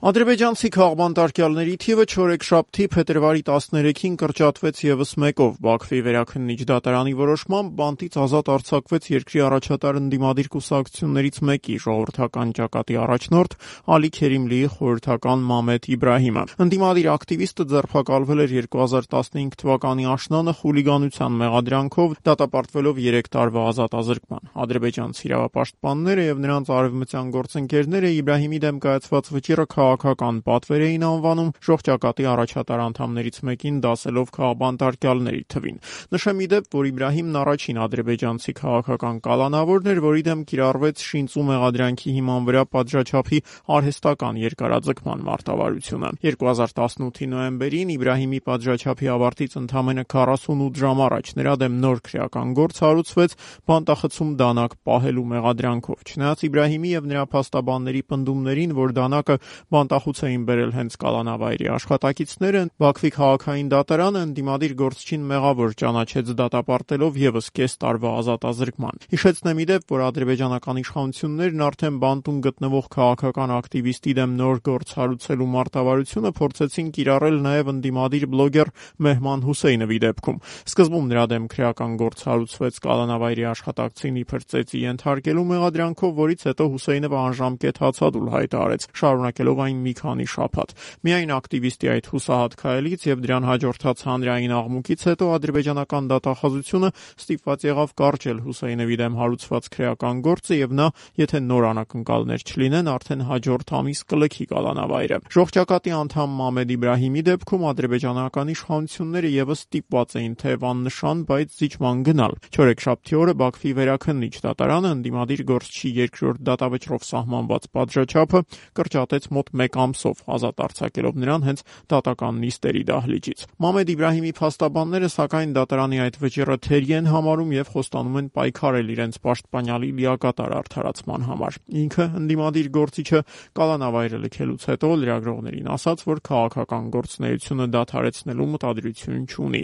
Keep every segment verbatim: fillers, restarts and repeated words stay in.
Ադրբեջանցի քաղբանտարկյալների թիվը չորեքշաբթի փետրվարի տասներեքին կրճատվեց ևս մեկով։ Բաքվի վերաքննիչ դատարանի որոշմամբ բանտից ազատ արձակվեց երկրի առաջատար ընդդիմադիր կուսակցություններից մեկի՝ ժողովրդական ճակատի առաջնորդ Ալի Քերիմլիի խորհրդական Մամեդ Իբրահիմը։ Ընդդիմադիր ակտիվիստը ձերբակալվել էր երկու հազար տասնհինգ թվականի աշնանը խուլիգանության մեղադրանքով, դատապարտվելով երեք տարվա ազատազրկման։ Ադրբեջանցի իրավապաշտպանները եւ նրանց արևմտյան գործընկերները Իբրահիմի դեմ կայացված վճիռը քաղաքական պատվեր էին անվանում, ժողջակատի առաջատար անդամներից մեկին դասելով քաղբանտարկյալների թվին։ Նշեմ ի դեպ, որ Իբրահիմն առաջին ադրբեջանցի քաղաքական կալանավորն էր, որի դեմ կիրառվեց շինծու մեղադրանքի հիման վրա պատժաչափի արհեստական երկարաձգման մարտավարությունը։ երկու հազար տասնութի նոյեմբերին Իբրահիմի պատժաչափի ավարտից ընդամենը քառասունութ ժամ առաջ նրա դեմ նոր քրեական գործ հարուցվեց բանտախցում դանակ պահելու մեղադրանքով։ Չնայած Իբրահիմի եւ նրա փաստաբանների պնդումներին, որ դանակը բանտախուց էին բերել հենց կալանավայրի աշխատակիցները, Բաքվի քաղաքային դատարանը ընդդիմադիր գործչին մեղավոր ճանաչեց դատապարտելով ևս կես տարվա ազատազրկման։ Հիշեցնեմ ի դեպ, որ ադրբեջանական իշխանություններն արդեն բանտում գտնվող քաղաքական ակտիվիստի դեմ նոր գործ հարուցելու մարտավարությունը փորձեցին կիրառել նաև ընդդիմադիր բլոգեր Մեհման Հուսեյնովի դեպքում։ Սկզբում նրա դեմ քրեական գործ հարուցվեց կալանավայրի աշխատակցին իբր ծեծի ենթարկելու մեղադրանքով, որից հետո Հուսեյնովը անժամկետ հացադուլ հայտարարեց, շարունակելով այն մի քանի շաբաթ։ Միայն ակտիվիստի այդ հուսահատ քայլից եւ դրան հաջորդած հանրային աղմուկից հետո ադրբեջանական դատախազությունը ստիպված եղավ կարճել Հուսեյնովի դեմ հարուցված քրեական գործը եւ նա, եթե նոր անակնկալներ չլինեն, արդեն հաջորդ ամիս կլքի կալանավայրը։ Ժողջակատի անդամ Մամեդ Իբրահիմի դեպքում ադրբեջանական իշխանությունները եւս ստիպված էին թեև աննշան, բայց զիջման գնալ։ Չորեքշաբթի օրը Բաքվի վերաքննիչ դատարանը ընդդիմադիր գործչի երկրորդ դատավճռով սահմանված պատժաչափը կրճատեց մոտ մեկ ամսով, ազատ արձակելով նրան հենց դատական նիստերի դահլիճից։ Մամեդ Իբրահիմի փաստաբանները սակայն դատարանի այդ վճիռը թերի են համարում եւ խոստանում են պայքարել իրենց պաշտպանյալի լիակատար արդարացման համար։ Ինքը ընդդիմադիր գործիչը կալանավայրը լքելուց հետո լրագրողներին ասաց, որ քաղաքական գործունեությունը դադարեցնելու մտադրություն չունի։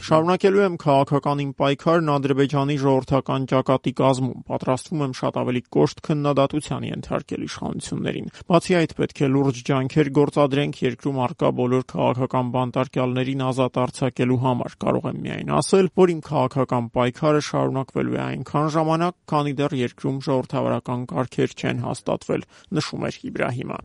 Շարունակելու եմ քաղաքական իմ պայքարն Ադրբեջանի ժողովրդական ճակատի կազմում, պատրաստվում եմ շատ ավելի կոշտ քննադատության ենթարկել իշխանություններին։ Բացի այդ, պետք է լուրջ ջանքեր գործադրենք երկրում առկա բոլոր քաղաքական բանտարկյալներին ազատ արձակելու համար։ Կարող եմ միայն ասել, որ իմ քաղաքական պայքարը շարունակվելու է այնքան ժամանակ, քանի դեռ երկրում ժողովրդավարական կարգեր չեն հաստատվել, նշում էր Իբրահիմը։